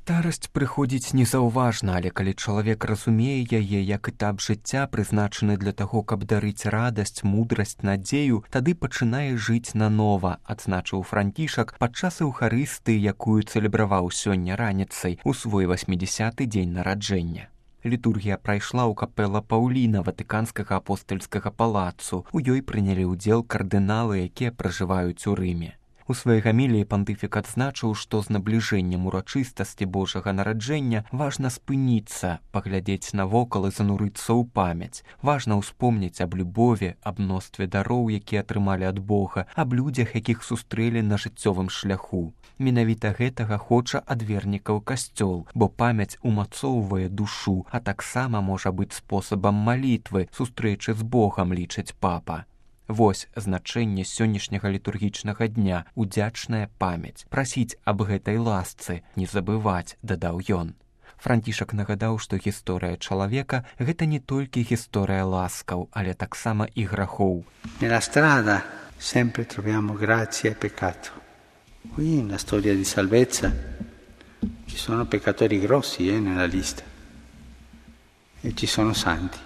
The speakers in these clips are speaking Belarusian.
Старасць прыходзіць незаўважна, але калі чалавек разумее яе як этап жыцця, прызначаны для таго, каб дарыць радасць, мудрасць, надзею, тады пачынае жыць нанова, адзначыў Францішак падчас эўхарыстыі, якую цэлебраваў сёння раніцай у свой 80-й дзень нараджэння. Літургія прайшла ў капэла Паўліна ватыканскага апостальскага палацу. У ёй прынялі ўдзел кардыналы, якія пражываюць у Рыме. У сваёй гаміліі пантыфік адзначыў, што з набліжэннем урачыстасці Божага нараджэння важна спыніцца, паглядзець навокал і занурыцца ў памяць. Важна ўспомніць аб любові, аб мностве дароў, якія атрымалі ад Бога, аб людзях, якіх сустрэлі на жыццёвым шляху. Менавіта гэтага хоча ад вернікаў касцёл, бо памяць умацоўвае душу, а таксама можа быць спосабам малітвы, сустрэчы з Богам, лічыць папа. Вось значэнне сённяшняга літургічнага дня, удзячная памяць. Прасіць аб гэтай ласцы, не забываць, дадаў ён. Францішак нагадаў, што гісторыя чалавека – гэта не толькі гісторыя ласкаў, але таксама і грахоў. Nella strada sempre troviamo grazia e peccato. Qui nella storia di salvezza ci sono peccatori grossi nella lista e ci sono santi.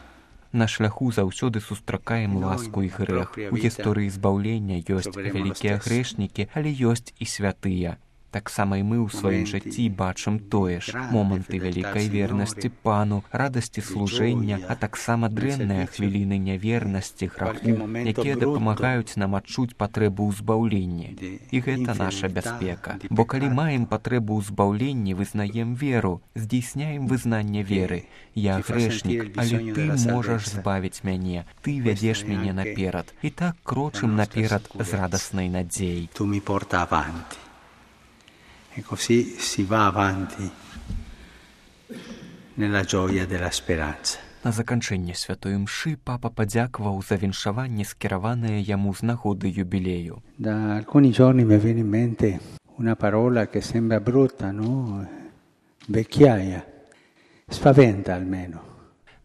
На шляху заўсёды сустракаем ласку і грэх. У гісторыі збаўлення ёсць вялікія грэшнікі, але ёсць і святыя. Таксама і мы ў сваім жыцці бачым тое ж. Моманты вялікай вернасці Пану, радасці служэння, а таксама дрэнныя хвіліны нявернасці, граху, якія дапамагаюць нам адчуць патрэбу ў збаўленні. І гэта наша бяспека. Бо калі маем патрэбу ў збаўленні, вызнаем веру, здзейсняем вызнанне веры. Я грэшнік, але ты можаш збавіць мяне, ты вядзеш мяне наперад. І так крочым наперад з радаснай надзеяй. Tu mi porta avanti. E così si va avanti nella gioia della speranza. На заканчэнне святой імшы папа падзякаваў за віншаванне, скіраванае яму з нагоды юбілею. Da alcuni giorni mi viene in mente una parola che sembra brutta, no? Vecchiaia. Spaventa almeno.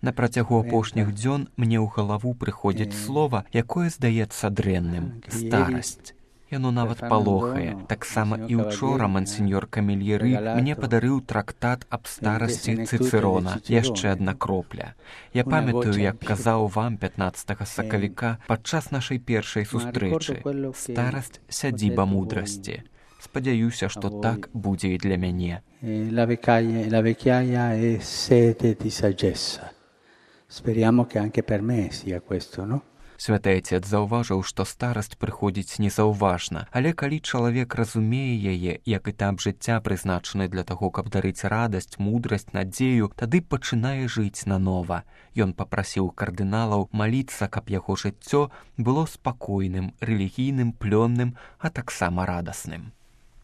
На працягу апошніх дзён мне ў галаву прыходзіць слова, якое здаецца дрэнным – старасць. Яно нават палохае. Таксама і ўчора мансеньор Камельеры мне падарыў трактат аб старасці Цыцэрона, яшчэ адна кропля. Я памятаю, як казаў вам 15 сакавіка падчас нашай першай сустрэчы. Старасць – сядзіба мудрасці. Спадзяюся, што так будзе і для мяне. La vecchiaia è sete di saggezza. Speriamo che anche per me sia questo, no? Святы Отец заўважыў, што старасць прыходзіць незаўважна, але калі чалавек разумее яе, як этап жыцця прызначаны для таго, каб дарыць радасць, мудрасць, надзею, тады пачынае жыць нанова. Ён папрасіў кардыналаў маліцца, каб яго жыццё было спакойным, рэлігійным, плённым, а таксама радасным.